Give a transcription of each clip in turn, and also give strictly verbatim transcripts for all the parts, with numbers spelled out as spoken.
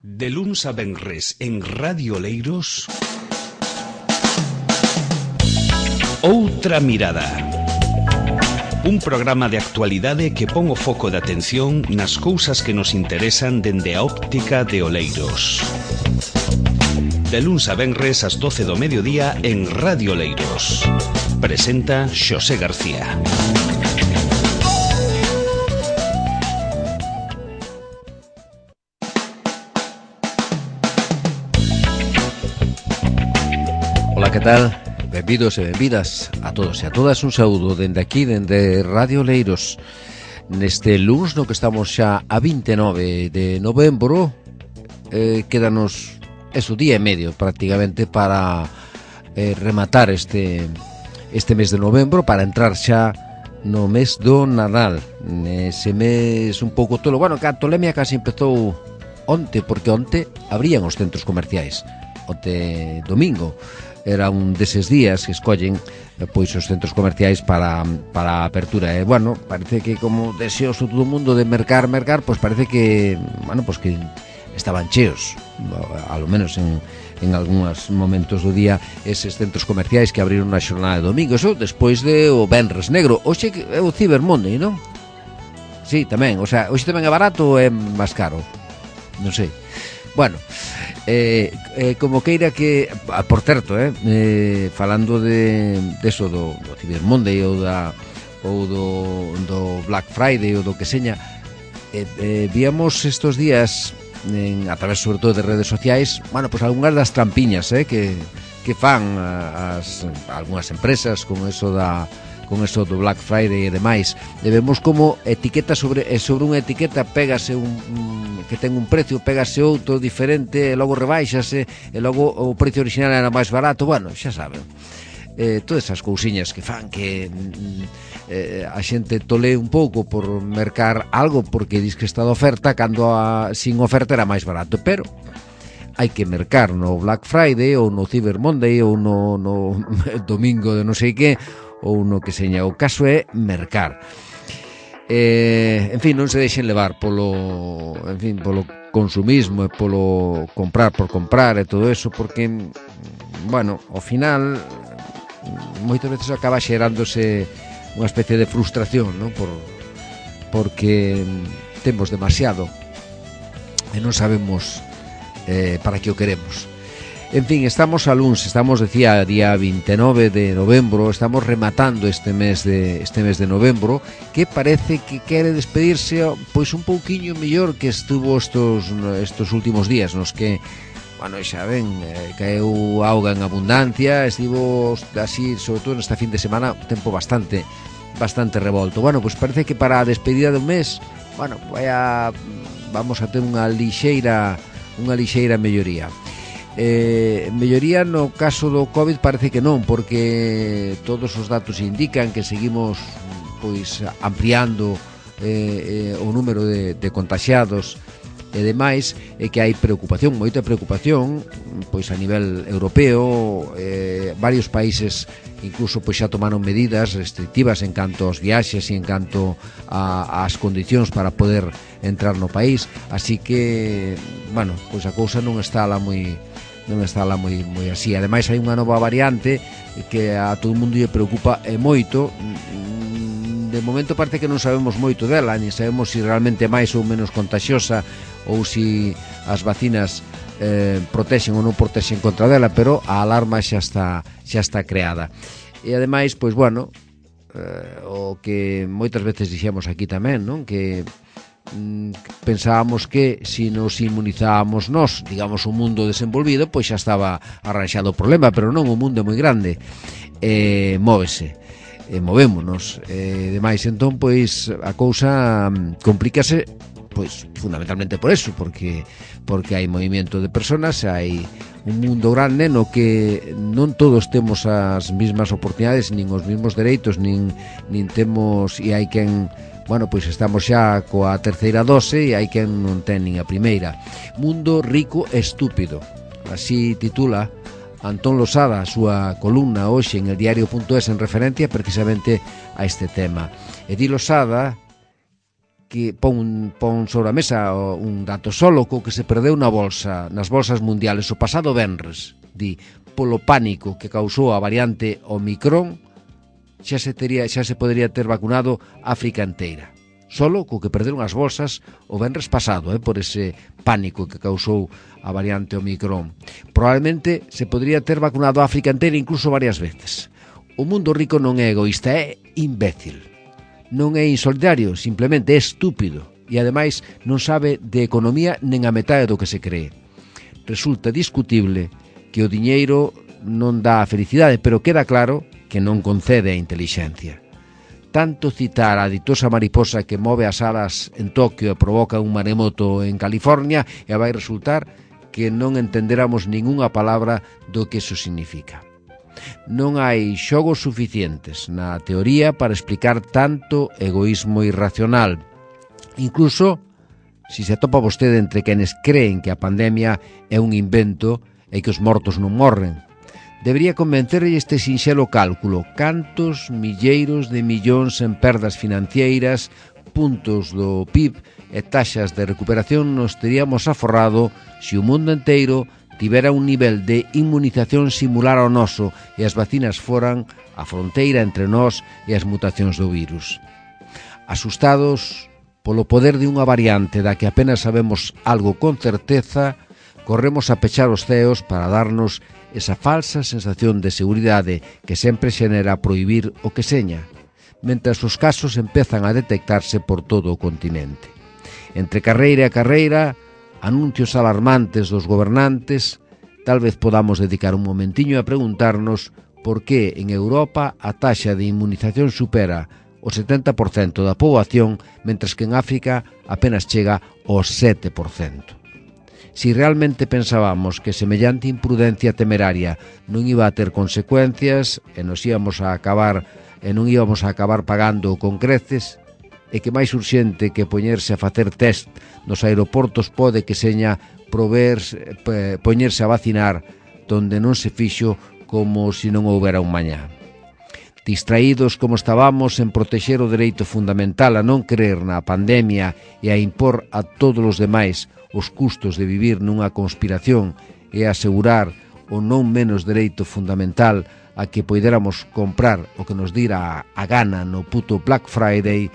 De luns a venres en Radio Oleiros, Outra Mirada. Un programa de actualidade que pon o foco de atención nas cousas que nos interesan dende a óptica de Oleiros. De luns a venres ás doce do mediodía en Radio Oleiros. Presenta Xosé García. Ola, que tal? Benvidos e benvidas a todos e a todas. Un saúdo dende aquí, dende Radio Oleiros. Neste luns no que estamos xa a vinte e nove de novembro, eh, quédanos eso, día e medio prácticamente para eh, rematar este este mes de novembro, para entrar xa no mes do Nadal. Nese mes un pouco tolo. Bueno, que a tolemia casi empezou onte, porque onte abrían os centros comerciais. Onte domingo era un deses días que escollen pois os centros comerciais para, para a apertura. E, bueno, parece que como deseoso todo o mundo de mercar, mercar, pois parece que, bueno, pois que estaban cheos, a lo menos en, en algúns momentos do día, eses centros comerciais que abriron na xornada de domingo. Eso despois de o Venres Negro. Hoxe é o Cyber Monday, non? Sí, tamén, o sea, hoxe tamén é barato ou é máis caro? Non sei. Bueno, eh, eh, como queira que, por certo, eh, eh, falando de, de eso do, do Cyber Monday ou, da, ou do, do Black Friday ou do que seña, eh, eh, víamos estos días en, a través sobre todo de redes sociais, bueno, pues algunhas das trampiñas eh, que, que fan as, algunhas empresas con eso da con eso do Black Friday e demais. E vemos como etiqueta sobre sobre unha etiqueta pégase un, un que ten un precio, pégase outro diferente, e logo rebaixase, e logo o precio original era máis barato. Bueno, xa saben, eh, todas esas cousiñas que fan que eh, a xente tole un pouco por mercar algo porque dis que está de oferta, cando a, sin oferta era máis barato. Pero hai que mercar no Black Friday ou no Cyber Monday ou no, no domingo de non sei que, ou no que seña. O caso é mercar. Eh, en fin, non se deixen levar polo, en fin, polo consumismo e polo comprar por comprar e todo eso, porque, bueno, ao final moitas veces acaba xerándose unha especie de frustración, non? Por, porque temos demasiado e non sabemos eh, para que o queremos. En fin, estamos a luns, estamos, decía, día vinte e nove de novembro, estamos rematando este mes de este mes de novembro, que parece que quere despedirse pois un pouquiño mellor que estuvo estos estos últimos días, nos que, bueno, xa ven, eh, caeu auga en abundancia, estivo así, sobre todo nesta fin de semana, un tempo bastante bastante revolto. Bueno, pois parece que para a despedida do mes, bueno, vai a, vamos a ter unha lixeira unha lixeira melloría. Eh, melloría no caso do COVID parece que non, porque todos os datos indican que seguimos pois ampliando eh, eh, o número de, de contaxiados e demais, e que hai preocupación, moita preocupación, pois a nivel europeo. Eh, varios países incluso pois xa tomaron medidas restrictivas en canto aos viaxes e en canto a, ás condicións para poder entrar no país, así que, bueno, pois a cousa non está lá moi non está lá moi, moi así. Ademais hai unha nova variante que a todo o mundo lle preocupa e moito. De momento parece que non sabemos moito dela, ni sabemos se realmente é máis ou menos contagiosa, ou se as vacinas eh, protexen ou non protexen contra dela, pero a alarma xa está xa está creada. E ademais, pois bueno, eh, o que moitas veces dixemos aquí tamén, non? Que pensábamos que se nos inmunizábamos nós, digamos, o mundo desenvolvido, pois xa estaba arranxado o problema, pero non, o mundo é moi grande, e móvese, e movémonos, e demais, entón, pois a cousa complícase, pois fundamentalmente por eso, porque porque hai movimento de personas, hai un mundo grande no que non todos temos as mesmas oportunidades, nin os mesmos dereitos, nin, nin temos, e hai quen, bueno, pois estamos xa coa terceira dose e hai quen non ten nin a primeira. Mundo rico e estúpido, así titula Antón Losada a súa columna hoxe en el diario punto es en referencia precisamente a este tema. E di Losada que pon, pon sobre a mesa un dato solo co que se perdeu na bolsa, nas bolsas mundiales o pasado venres, di, polo pánico que causou a variante Omicron, xa se tería, xa se podería ter vacunado África inteira. Solo co que perderon as bolsas o venres pasado, eh, por ese pánico que causou a variante Omicron. Probablemente se podría ter vacunado a África inteira incluso varias veces. O mundo rico non é egoísta, é imbécil. Non é insolidario, simplemente é estúpido. E ademais non sabe de economía nen a metade do que se cree. Resulta discutible que o diñeiro non dá a felicidade, pero queda claro que non concede a intelixencia. Tanto citar a ditosa mariposa que move as alas en Tokio e provoca un maremoto en California e vai resultar que non entenderamos ningunha palabra do que iso significa. Non hai xogos suficientes na teoría para explicar tanto egoísmo irracional. Incluso, si se atopa vostede entre quenes creen que a pandemia é un invento e que os mortos non morren, debería convencerlle este sinxelo cálculo: cantos milleiros de millóns en perdas financeiras, puntos do P I B e taxas de recuperación nos teríamos aforrado se o mundo inteiro tivera un nivel de inmunización similar ao noso e as vacinas foran a fronteira entre nós e as mutacións do virus. Asustados polo poder de unha variante da que apenas sabemos algo con certeza, corremos a pechar os ceos para darnos esa falsa sensación de seguridade que sempre xenera prohibir o que seña, mentras os casos empezan a detectarse por todo o continente. Entre carreira e carreira, anuncios alarmantes dos gobernantes, tal vez podamos dedicar un momentiño a preguntarnos por que en Europa a taxa de inmunización supera o setenta por cento da poboación, mentras que en África apenas chega ao sete por cento. Si realmente pensábamos que semellante imprudencia temeraria non iba a ter consecuencias e nos íbamos a acabar e non íbamos a acabar pagando con creces, e que máis urxente que poñerse a facer test nos aeroportos pode que seña prover, poñerse a vacinar donde non se fixo como se non houbera un mañá. Distraídos como estábamos en protexer o dereito fundamental a non creer na pandemia e a impor a todos os demais os custos de vivir nunha conspiración e asegurar o non menos dereito fundamental a que poidéramos comprar o que nos dira a gana no puto Black Friday,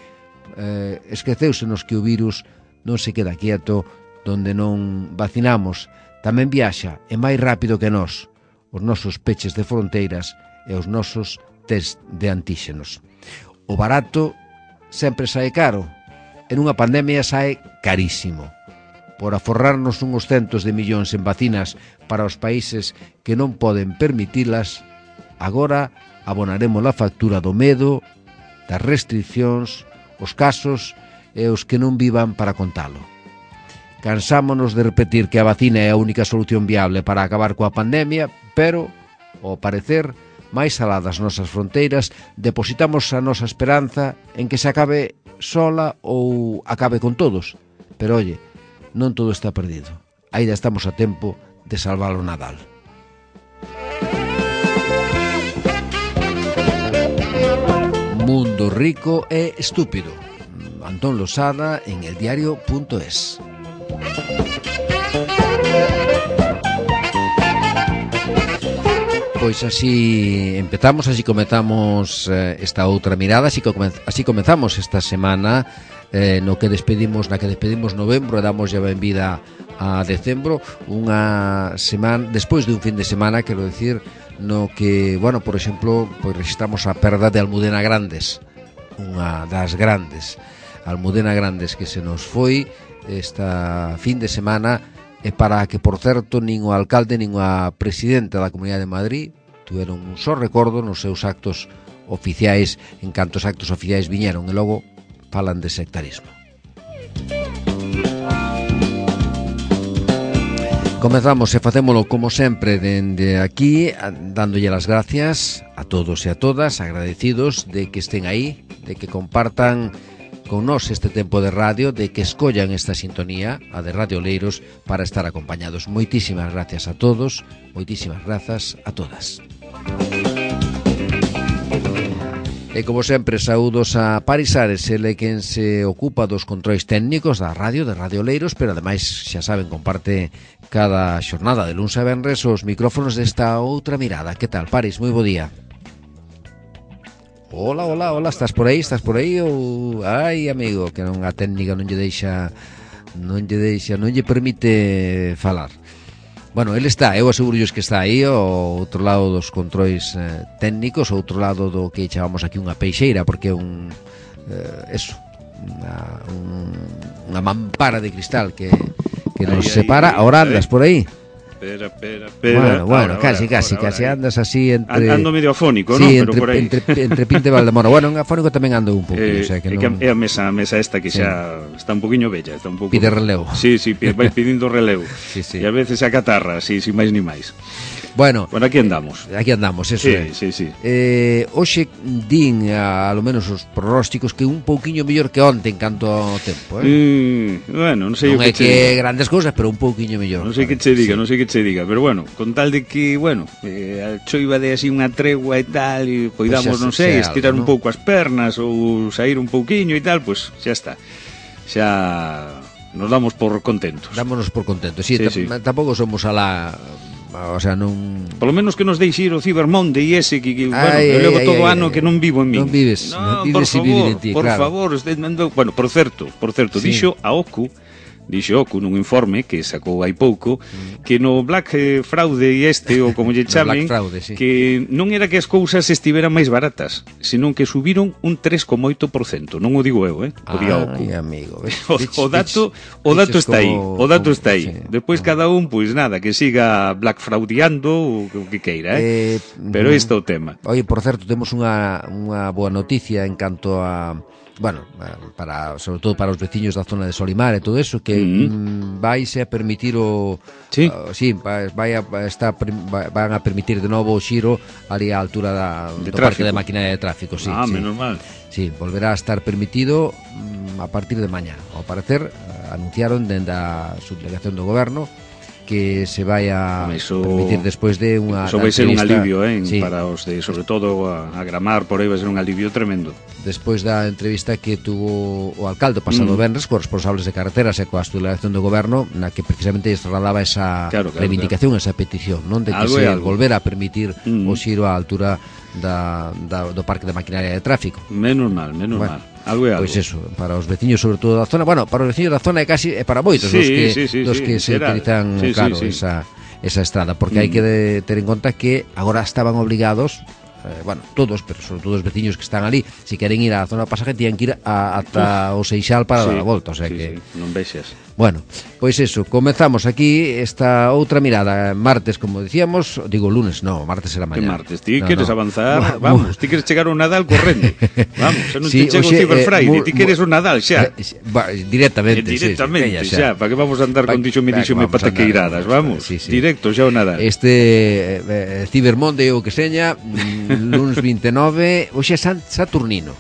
eh, esqueceusenos que o virus non se queda quieto donde non vacinamos, tamén viaxa e máis rápido que nós, os nosos peches de fronteiras e os nosos test de antíxenos. O barato sempre sae caro, en unha pandemia sae carísimo. Por aforrarnos uns centos de millóns en vacinas para os países que non poden permitilas, agora abonaremos a factura do medo, das restriccións, os casos e os que non vivan para contalo. Cansámonos de repetir que a vacina é a única solución viable para acabar coa pandemia, pero, ao parecer, máis alá das nosas fronteiras, depositamos a nosa esperanza en que se acabe sola ou acabe con todos. Pero, oye, non todo está perdido. Ainda estamos a tempo de salvar o Nadal. Mundo rico e estúpido. Antón Losada en eldiario punto es. Pois así empezamos, así comezamos eh, esta outra mirada, así, come, así comezamos esta semana eh, no que despedimos, na que despedimos novembro e damos ya benvida a decembro, unha semana despois de un fin de semana, quero decir, no que, bueno, por exemplo, pois registramos a perda de Almudena Grandes, unha das grandes, Almudena Grandes, que se nos foi esta fin de semana, e para que, por certo, nin o alcalde nin a presidenta da Comunidade de Madrid tiveron un só recordo nos seus actos oficiais, en cantos actos oficiais viñeron, e logo falan de sectarismo. Comezamos e facémolo como sempre dende aquí, dándolle as gracias a todos e a todas, agradecidos de que estén aí, de que compartan con nós este tempo de radio, de que escollan esta sintonía, a de Radio Oleiros, para estar acompañados. Moitísimas gracias a todos, moitísimas grazas a todas. E como sempre, saúdos a Paris Ares, ele quen se ocupa dos controis técnicos da radio, de Radio Oleiros, pero ademais, xa saben, comparte cada xornada de luns a venres os micrófonos desta outra mirada. Que tal, Paris? Moi bo día. Hola, hola, hola, estás por aí, estás por aí ou... Ai, amigo, que non a técnica non lle deixa, non lle deixa, non lle permite falar. Bueno, ele está, eu asegurolles que está aí ao outro lado dos controis eh, técnicos, ao outro lado do que chamamos aquí unha peixeira, porque é un eh, eso, unha, un, unha mampara de cristal que, que nos ahí, separa. Ahí, Ahora andas por aí. Espera, espera, espera. Bueno, bueno, ahora, casi, ahora, casi, ahora, casi ahora. andas así entre... Ando medio afónico, sí, ¿no? Entre, Pero por aí. entre, entre Pinto e Valdemoro. Bueno, en afónico tamén ando un pouco, Eh, o sea que é, non... que é a mesa, a mesa esta que Sí. xa está un poquinho bella, está un pouco... Pide relevo. Sí, sí, pide, vai pidindo relevo. Sí, sí. E a veces a catarra, sí, sin máis ni máis. Bueno, Bueno, aquí andamos. aquí andamos, eso Sí, é. sí, sí. Eh, hoxe din a, a lo menos os pronósticos que un pouquiño mellor que onte en canto ao tempo, eh? Mm, bueno, non sei Non o é que che que diga. grandes cousas, pero un pouquiño mellor. Non sei que che diga, non sei que che diga, pero bueno, con tal de que, bueno, eh, a choiva de así unha tregua e tal, e poidamos, Pois xa non se- sei, xa estirar algo, un non? pouco as pernas ou sair un pouquiño e tal, pois xa está. Xa nos damos por contentos. Dámonos por contentos. Sí, Sí, ta- sí. tampouco somos a la... O sea, non... Por lo menos que nos deixe ir o Cyber Monday ese que, que bueno, Ai, eu levo ai, todo o ai, ano ai. que non vivo en min. Non vives, No, non por vives e favor, viven en ti, por claro. favor, usted mandou, bueno, por certo, por certo, Sí. dixo a Ocu, dixo Ocu nun informe que sacou hai pouco, que no Black eh, Fraude e este, ou como lle No chamen, Black Fraude, sí. que non era que as cousas estiveran máis baratas, senón que subiron un tres coma oito por cento. Non o digo eu, eh? O día Ocu. Ai, amigo. ves, O, diches- o dato, diches- o dato diches está aí, como- o dato como- está aí. sí. Despois cada un, pois nada, que siga black fraudeando ou o que queira, eh? Eh, Pero mm, isto é o tema. Oye, por certo, temos unha, unha boa noticia en canto a... Bueno, para, sobre todo para os veciños da zona de Solimar e todo eso, que Mm. mm, vaise a permitir o... Sí. Uh, sí, vai, vai a, está, vai, van a permitir de novo o xiro ali á altura da, De do parque tráfico. de maquinaria de tráfico, sí, ah, sí. menos mal. Sí, volverá a estar permitido mm, a partir de mañá. Ao parecer, eh, anunciaron dende a subdelegación do goberno que se vai a Home, iso- permitir despois de unha Eso vai ser un entrevista- alivio, eh, sí, para os de, sobre todo a, a Gramar, por aí vai ser un alivio tremendo. despois da entrevista que tuvo o alcalde o pasado Mm. venres cos responsables de carreteras e coa delegación do goberno, na que precisamente lles trasladaba esa Claro, claro, reivindicación, esa petición, non, de que Algo se é algo. volvera a permitir Mm. o xiro á altura da, da, do parque de maquinaria de tráfico. Menos mal, menos Bueno, mal. Algo é algo. Pois eso, para os veciños sobre todo da zona, bueno, para os veciños da zona é casi é para moitos Sí, dos que sí, sí, dos sí, que se será. utilizan, Sí, sí, claro, sí. esa esa estrada, porque Mm. hai que de, ter en conta que agora estaban obligados, eh, bueno, todos, pero sobre todo os veciños que están ali, se queren ir á zona de pasaje, tienen que ir a, ata o Seixal para Sí, dar a volta, o sea sí, que sí, non vexas. bueno, pois eso, comezamos aquí esta outra mirada, martes, como dicíamos, digo lunes, no, martes será Que mañá. martes, ti No, queres no. avanzar, Bueno, vamos, ti queres chegar ao Nadal correndo. Vamos, xa non Sí, te chego o oxe, Cyber eh, Friday, mu- ti queres o Nadal xa. Eh, va, directamente, Eh, directamente, sí, sí, veña, xa, para que vamos a andar Pa- con dixo me va, dixo me vamos a andar, pataqueiradas, vamos, sí, sí. directo xa o Nadal. Este eh, Cyber Monday ou que seña, mm, lunes vinte e nove, hoxe é San Saturnino.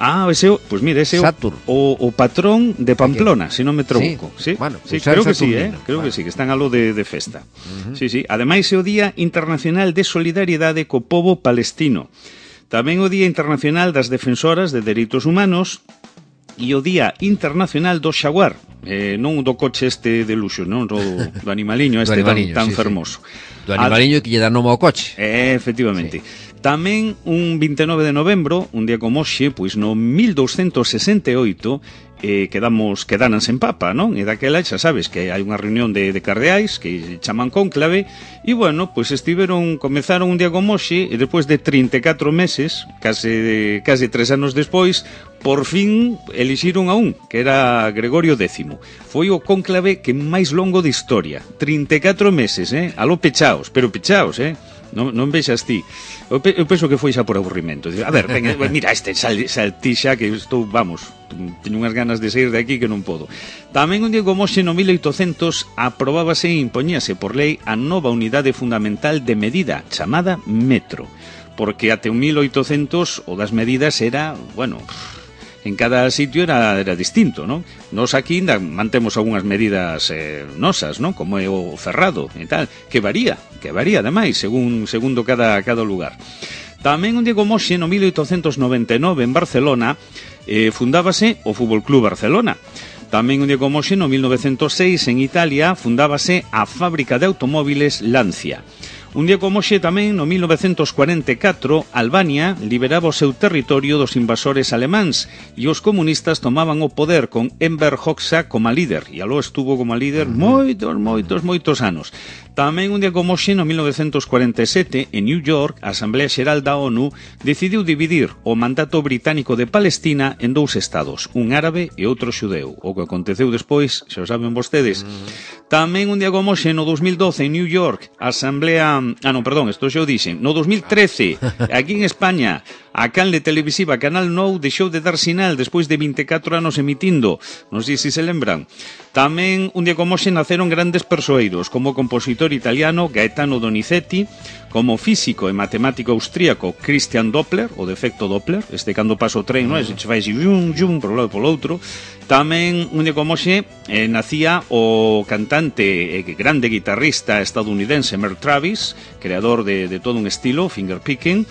Ah, ese, o- pues mira, ese é o, Saturn. o, o patrón de Pamplona, se non me troco. Sí, Sí, bueno, sí, pues San creo que sí, eh? Saturnino. Creo Bueno. que sí, que están a lo de, de festa. Sí, sí. Ademais é o Día Internacional de Solidariedade co pobo palestino. Tamén o Día Internacional das Defensoras de Dereitos Humanos e o Día Internacional do Xaguar, eh, non do coche este de luxo, non do, do animaliño Do este animaliño, tan, tan sí, sí. fermoso. Do animaliño que lle dá nome ao coche. Eh, efectivamente. Sí. Tamén un vinte e nove de novembro, un día como hoxe, pois no mil douscentos sesenta e oito, eh, quedamos quedanas en papa, non? E daquela xa sabes que hai unha reunión de, de cardeais que chaman cónclave e bueno, pois estiveron, comezaron un día como hoxe e despois de trinta e catro meses, case case tres anos despois, por fin elixiron a un, que era Gregorio décimo. Foi o cónclave que máis longo de historia, trinta e catro meses, eh? Aló pechaos, pero pechaos, eh? Non, non vexas ti. Eu, pe, eu penso que foi xa por aburrimento. A ver, ven, mira este sal, saltixa que estou, vamos, teño unhas ganas de sair de aquí que non podo. Tamén un día como hoxe no mil oitocentos aprobábase e impoñíase por lei a nova unidade fundamental de medida chamada metro. Porque até o mil oitocentos o das medidas era, bueno, en cada sitio era, era distinto, non? Nos aquí ainda mantemos algunhas medidas eh, nosas, non? Como é o ferrado e tal, que varía, que varía ademais, según segundo cada, cada lugar. Tamén un día como hoxe, no mil oitocentos noventa e nove, en Barcelona, eh, fundábase o Fútbol Club Barcelona. Tamén un día como hoxe, no mil novecentos seis, en Italia, fundábase a fábrica de automóviles Lancia. Un día como hoxe tamén, no mil novecentos cuarenta e catro, Albania liberaba o seu territorio dos invasores alemáns e os comunistas tomaban o poder con Enver Hoxha como líder, e aló estuvo como líder moitos, moitos, moitos anos. Tamén un día como hoxe, no mil novecentos cuarenta e sete, en New York, a Asamblea Xeral da ONU decidiu dividir o mandato británico de Palestina en dous estados, un árabe e outro xudeu. O que aconteceu despois, xa o saben vostedes. Tamén un día como hoxe, no dos mil doce, en New York, a Asamblea... Ah, non, perdón, isto xa o dixen. No dos mil trece, aquí en España, a canle televisiva Canal Nou deixou de dar sinal despois de vinte e catro anos emitindo. Non sei se se lembran. Tamén un día como hoxe naceron grandes persoeiros, como o compositor italiano Gaetano Donizetti, como físico e matemático austríaco Christian Doppler, o de efecto Doppler, este cando pasa o tren, non é? Se che vai así, yum, yum, por un lado e polo outro. Tamén un día como hoxe eh, nacía o cantante e eh, grande guitarrista estadounidense Merle Travis, creador de, de todo un estilo, fingerpicking.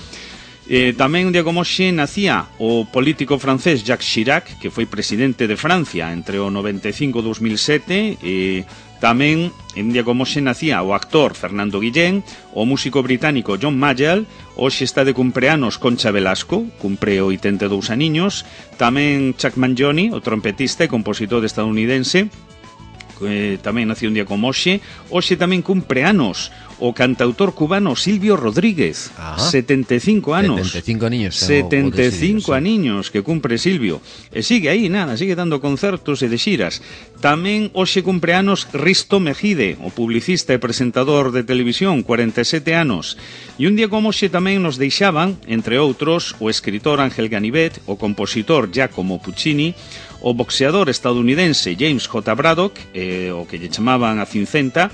Eh, tamén un día como hoxe nacía o político francés Jacques Chirac, que foi presidente de Francia entre o noventa e cinco e dos mil sete. E tamén un día como hoxe nacía o actor Fernando Guillén, o músico británico John Mayall. Hoxe está de cumpleanos Concha Velasco, cumpre oitenta e dous aniños. Tamén Chuck Mangione, o trompetista e compositor estadounidense, eh, tamén nació un día como hoxe. Hoxe tamén cumpre anos o cantautor cubano Silvio Rodríguez. Ajá. setenta e cinco anos. setenta e cinco aniños. setenta e cinco aniños que cumpre Silvio. E sigue aí, nada, sigue dando concertos e de xiras. Tamén hoxe cumpre anos Risto Mejide, o publicista e presentador de televisión, cuarenta e sete anos. E un día como hoxe tamén nos deixaban, entre outros, o escritor Ángel Ganivet, o compositor Giacomo Puccini, o boxeador estadounidense James J. Braddock, eh, o que lle chamaban a Cincenta,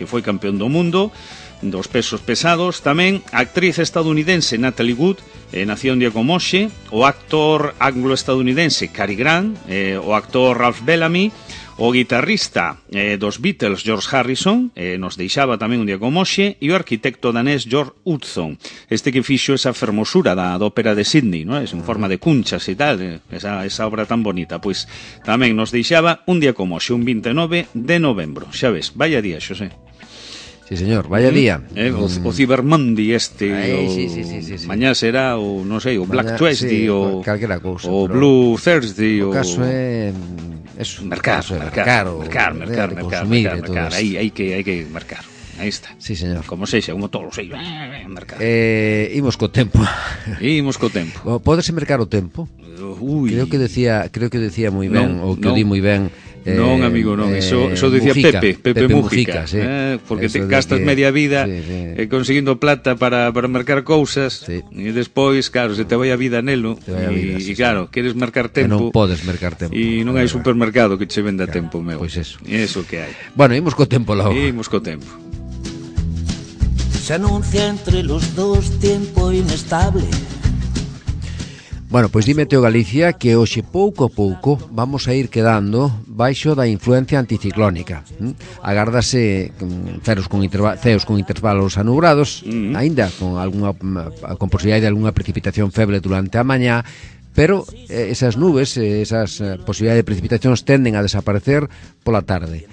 que foi campeón do mundo dos pesos pesados. Tamén a actriz estadounidense Natalie Wood, eh, nació un día como hoxe. O actor anglo-estadounidense Cary Grant, eh, o actor Ralph Bellamy, o guitarrista eh, dos Beatles George Harrison, eh, nos deixaba tamén un día como hoxe, e o arquitecto danés George Hudson, este que fixo esa fermosura da, da ópera de Sydney, ¿no? Es en forma de cunchas e tal, eh, esa, esa obra tan bonita. Pois tamén nos deixaba un día como hoxe, un vinte e nove de novembro. Xa ves, vaya día, Xosé. Sí, señor, vaya día. Eh, o, o Cyber Monday este, Ay, o, sí, sí, sí, sí, sí. Mañá será o, non sei, o Black Mañá, Tuesday, sí, o, calquera cousa, o Blue Thursday, o o... caso é... Eso, mercar, caso é mercar, o, mercar, mercar, de mercar, consumir, mercar, mercar. Aí, hai que, hai que marcar. Aí está. Sí, señor. Como sexa, como todos, sei, mercar. Eh, imos co tempo. Imos co tempo. Pódese mercar o tempo? Uy. Creo que decía, creo que decía moi ben, Non, ou que non. o di moi ben. Eh, non, amigo, non, eso, eso decía Mujica, Pepe, Pepe, Pepe Mujica, Mujica, sí. eh, porque Eso te gastas que, media vida sí, sí. eh, conseguindo plata para, para marcar cousas, sí. E despois, claro, se te vai a vida nelo, e, sí, claro, sí. Queres marcar Que tempo, non podes mercar tempo, e non hai supermercado que che venda claro, tempo, meu. Pois eso. E eso que hai. Bueno, imos co tempo logo. Imos co tempo. Se anuncia entre los dos tiempo inestable. Bueno, pois dime, Teo Galicia, que hoxe pouco a pouco vamos a ir quedando baixo da influencia anticiclónica. ¿Mm? Agárdase mm, ceos con, interva- ceos con intervalos anubrados, mm-hmm. aínda con algunha con posibilidade de algunha precipitación feble durante a mañá, pero eh, esas nubes, eh, esas eh, posibilidades de precipitacións tenden a desaparecer pola tarde.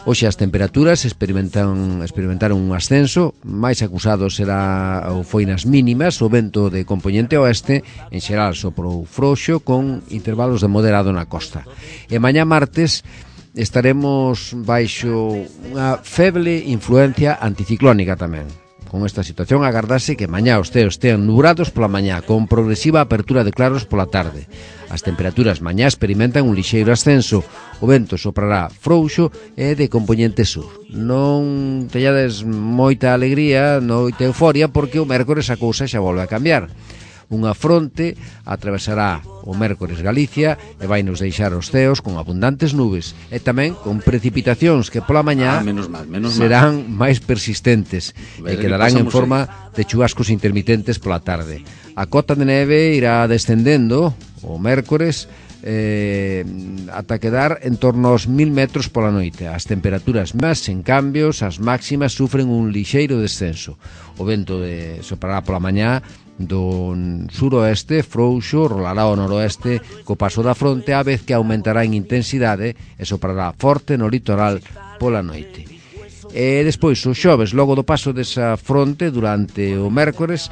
Hoxe as temperaturas experimentan, experimentaron un ascenso, máis acusado será ou foi nas mínimas, o vento de compoñente oeste, en xeral soprou frouxo con intervalos de moderado na costa. E mañá martes estaremos baixo unha feble influencia anticiclónica tamén. Con esta situación agardase que mañá os ceos estean nubrados pola mañá, con progresiva apertura de claros pola tarde. As temperaturas mañá experimentan un lixeiro ascenso, o vento soprará frouxo e de compoñente sur. Non teñades moita alegría, moita euforia, porque o mércores a cousa xa volve a cambiar. Unha fronte atravesará o mércores Galicia e vai nos deixar os ceos con abundantes nubes e tamén con precipitacións que pola mañá ah, menos mal, menos serán mal. máis persistentes e quedarán en forma aí de chubascos intermitentes pola tarde. A cota de neve irá descendendo o mércores eh, ata quedar en torno aos mil metros pola noite. As temperaturas máis, en cambios, as máximas sufren un lixeiro descenso. O vento de soprará pola mañá do suroeste frouxo rolará ao noroeste co paso da fronte, a vez que aumentará en intensidade e soprará forte no litoral pola noite. E despois o xoves, logo do paso desa fronte durante o mércores,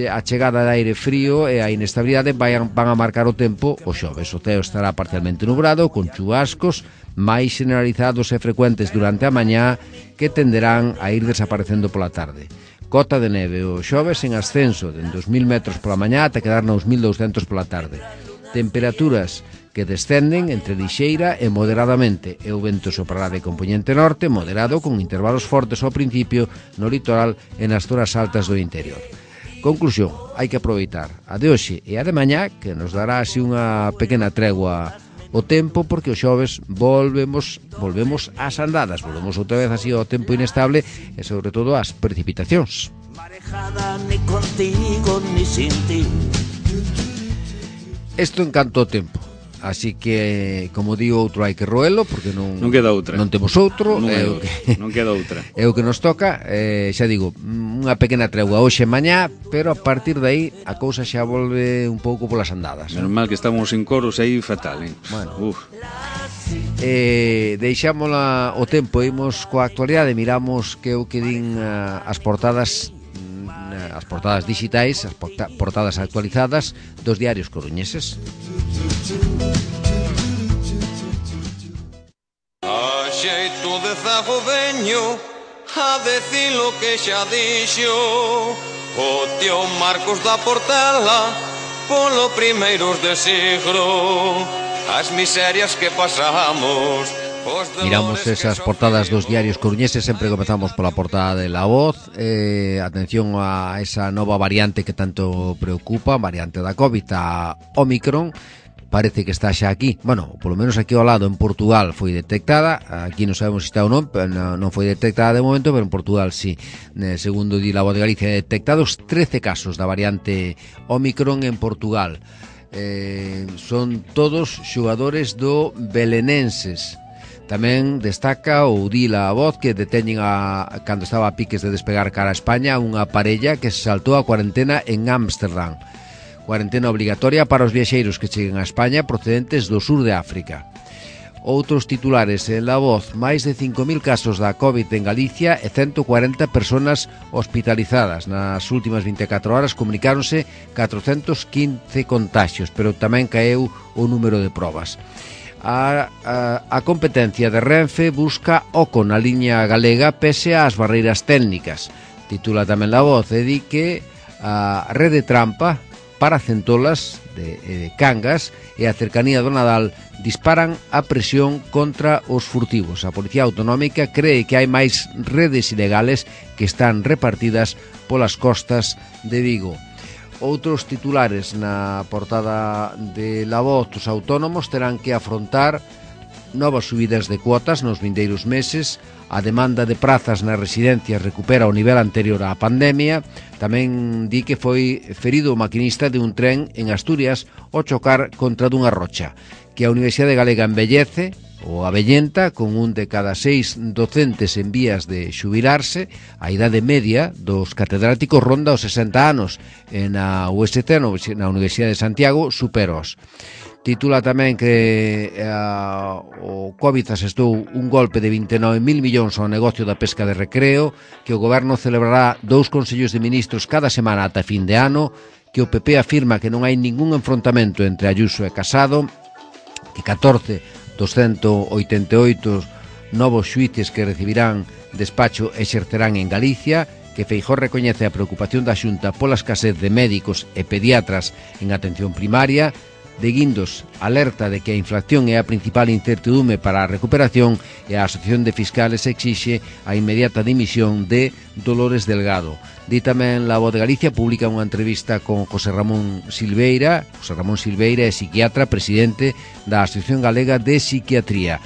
a chegada de aire frío e a inestabilidade van, van a marcar o tempo o xoves. O ceo estará parcialmente nublado, con chubascos máis generalizados e frecuentes durante a mañá, que tenderán a ir desaparecendo pola tarde. Cota de neve o xoves en ascenso de dos mil metros pola mañá ata quedar nos mil douscentos pola tarde. Temperaturas que descenden entre lixeira e moderadamente, e o vento soprará de compoñente norte moderado, con intervalos fortes ao principio no litoral e nas zonas altas do interior. Conclusión, hai que aproveitar a de hoxe e a de mañá, que nos dará así unha pequena tregua o tempo, porque o xoves volvemos volvemos ás andadas, volvemos outra vez así ao tempo inestable e sobre todo ás precipitacións. Marejada ni contigo ni sin ti. Isto en canto ao tempo. Así que, como digo, outro hai que roelo, porque non, non queda outra. Non temos outro, non, é o que, non queda outra. É o que nos toca, eh, xa digo, unha pequena tregua hoxe e mañá, pero a partir de aí a cousa xa volve un pouco polas andadas. Menos mal que estamos en coros aí fatal, eh? Bueno. Uf. Eh, deixámola o tempo, imos coa actualidade, miramos que o que din uh, as portadas as portadas digitais, as portadas actualizadas dos diarios coruñeses. A xeito de zago veño a decir lo que xa dixo o tío Marcos da Portela polo primeiros de siglo, as miserias que pasamos. Miramos esas portadas dos diarios coruñeses, sempre comezamos pola portada de La Voz. Eh, atención a esa nova variante que tanto preocupa, variante da COVID, a Omicron. Parece que está xa aquí, bueno, polo menos aquí ao lado en Portugal foi detectada, aquí non sabemos se está ou non, non foi detectada de momento, pero en Portugal sí. Segundo di La Voz de Galicia, detectados trece casos da variante Omicron en Portugal. Eh, son todos xogadores do Belenenses. Tamén destaca ou di La Voz que deteñen a, cando estaba a piques de despegar cara a España, unha parella que se saltou a cuarentena en Ámsterdam. Cuarentena obligatoria para os viaxeiros que cheguen a España procedentes do sur de África. Outros titulares en La Voz: máis de cinco mil casos da COVID en Galicia e ciento cuarenta personas hospitalizadas. Nas últimas vinte e catro horas comunicáronse catrocentos quince contaxios, pero tamén caeu o número de probas. A, a, a competencia de Renfe busca oco na liña galega pese ás barreiras técnicas. Titula tamén La Voz e di que a rede trampa para centolas de, de Cangas e a cercanía do Nadal disparan a presión contra os furtivos. A Policía Autonómica cree que hai máis redes ilegales que están repartidas polas costas de Vigo. Outros titulares na portada de La Voz: os autónomos terán que afrontar novas subidas de cuotas nos vindeiros meses, a demanda de prazas nas residencias recupera o nivel anterior á pandemia. Tamén di que foi ferido o maquinista de un tren en Asturias ao chocar contra dunha rocha, que a Universidade Galega envellece ou avellenta, con un de cada seis docentes en vías de xubilarse. A idade media dos catedráticos ronda os sesenta anos, e na U S T, na Universidade de Santiago, superos. Titula tamén que uh, o COVID asestou un golpe de vinte e nove mil millóns ao negocio da pesca de recreo, que o goberno celebrará dous consellos de ministros cada semana ata fin de ano, que o P P afirma que non hai ningún enfrontamento entre Ayuso e Casado, que catorce dos ciento oitenta e oito novos xuíces que recibirán despacho exercerán en Galicia, que Feijóo recoñece a preocupación da Xunta pola escasez de médicos e pediatras en atención primaria. De Guindos alerta de que a inflación é a principal incertidume para a recuperación, e a Asociación de Fiscales exixe a inmediata dimisión de Dolores Delgado. Di tamén La Voz de Galicia, publica unha entrevista con José Ramón Silveira. José Ramón Silveira é psiquiatra, presidente da Asociación Galega de Psiquiatría,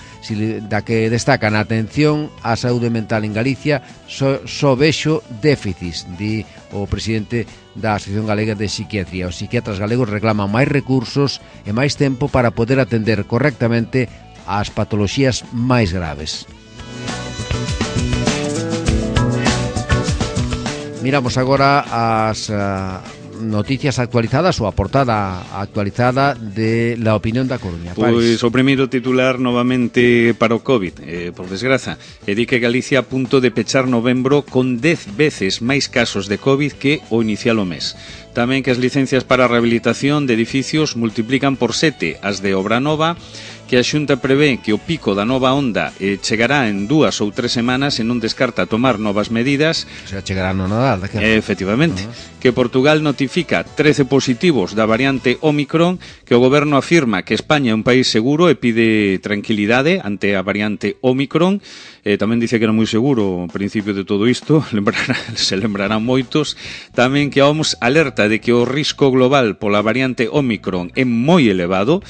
da que destaca na atención á saúde mental en Galicia só, só vexo déficits, di o presidente da Asociación Galega de Psiquiatría. Os psiquiatras galegos reclaman máis recursos e máis tempo para poder atender correctamente as patoloxías máis graves. Miramos agora as uh, noticias actualizadas ou a portada actualizada de La Opinión da Coruña. Pois o primeiro titular novamente para o COVID, eh, por desgraza, e di que Galicia a punto de pechar novembro con dez veces máis casos de COVID que o inicial o mes. Tamén que as licencias para a rehabilitación de edificios multiplican por sete as de obra nova, que a Xunta prevé que o pico da nova onda eh, chegará en dúas ou tres semanas e non descarta tomar novas medidas. O sea, chegará no Nadal, daquela. Eh, efectivamente. Uh-huh. Que Portugal notifica trece positivos da variante Ómicron, que o goberno afirma que España é un país seguro e pide tranquilidade ante a variante Ómicron. Eh, tamén dice que era moi seguro ao principio de todo isto, lembrará, se lembrarán moitos. Tamén que a O M S alerta de que o risco global pola variante Ómicron é moi elevado.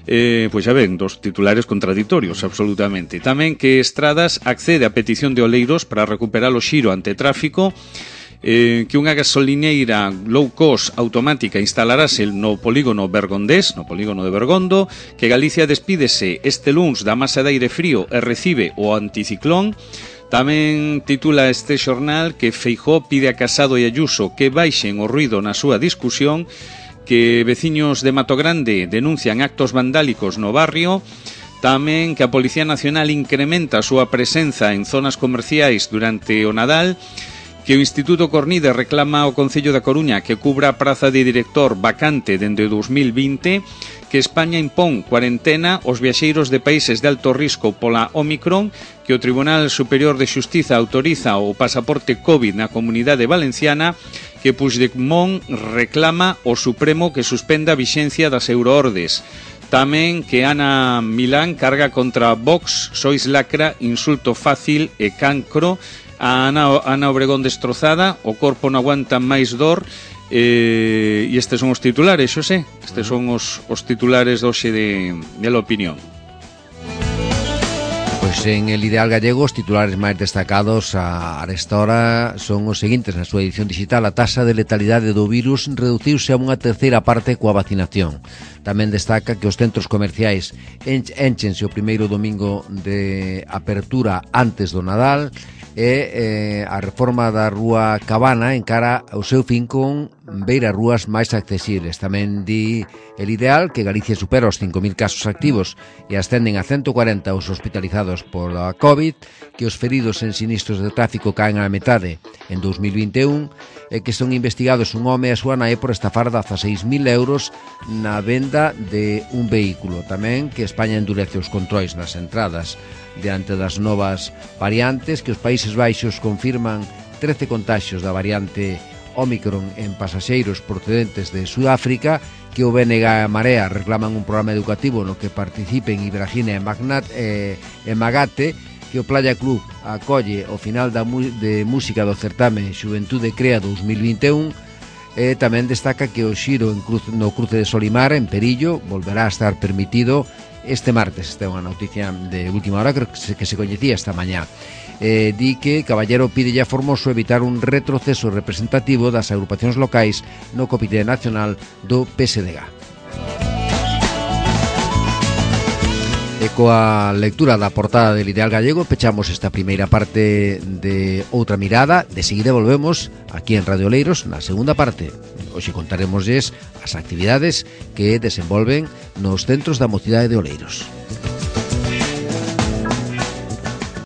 Eh, pois xa ven, dos titulares contraditorios, absolutamente. Tamén que Estradas accede a petición de Oleiros para recuperar o xiro ante tráfico, eh, que unha gasolineira low cost automática instalarase no polígono Bergondés, no polígono de Bergondo, que Galicia despídese este luns da masa de aire frío e recibe o anticiclón. Tamén titula este xornal que Feijóo pide a Casado e Ayuso que baixen o ruido na súa discusión, que veciños de Mato Grande denuncian actos vandálicos no barrio. Tamén que a Policía Nacional incrementa a súa presenza en zonas comerciais durante o Nadal, que o Instituto Cornide reclama ao Concello da Coruña que cubra a praza de director vacante dende o dos mil vinte, que España impón cuarentena aos viaxeiros de países de alto risco pola Ómicron, que o Tribunal Superior de Xustiza autoriza o pasaporte COVID na Comunidade Valenciana, que Puigdemont reclama ao Supremo que suspenda a vixencia das euroordes. Tamén que Ana Milán carga contra Vox, sois lacra, insulto fácil e cancro. A Ana, Ana Obregón destrozada, o corpo non aguanta máis dor. Eh, e estes son os titulares, xosé. Estes son os, os titulares doxe de, de La Opinión. Pois en El Ideal Gallego os titulares máis destacados a esta hora son os seguintes. Na súa edición digital, a taxa de letalidade do virus reduciuse a unha terceira parte coa vacinación. Tamén destaca que os centros comerciais enchense o primeiro domingo de apertura antes do Nadal, e eh, a reforma da Rúa Cabana encara o seu fin con beira rúas máis accesibles. Tamén di El Ideal que Galicia supera os cinco mil casos activos e ascenden a ciento cuarenta os hospitalizados por a COVID, que os feridos en sinistros de tráfico caen á metade en dos mil vinte e un, e que son investigados un home e a súa nai por estafar dezaseis mil euros na venda de un vehículo. Tamén que España endurece os controis nas entradas diante das novas variantes, que os Países Baixos confirman trece contaxios da variante Ómicron en pasaxeiros procedentes de Sudáfrica, que o B N G e a Marea reclaman un programa educativo no que participen Ibrahina e, Magnat, e, e Magate, que o Playa Club acolle o final da de música do certame Xuventude Crea dos mil vinte e un. E tamén destaca que o xiro en cruz, no cruce de Solimar, en Perillo, volverá a estar permitido este martes. Esta é unha noticia de última hora que se, que se coñecía esta mañá. Eh, di que Caballero pide a Formoso evitar un retroceso representativo das agrupacións locais no Comité Nacional do P S D G. E coa lectura da portada del Ideal Gallego pechamos esta primeira parte de Outra Mirada. De seguida volvemos aquí en Radio Oleiros na segunda parte. Hoxe contaremosles as actividades que desenvolven nos centros da mocidade de Oleiros.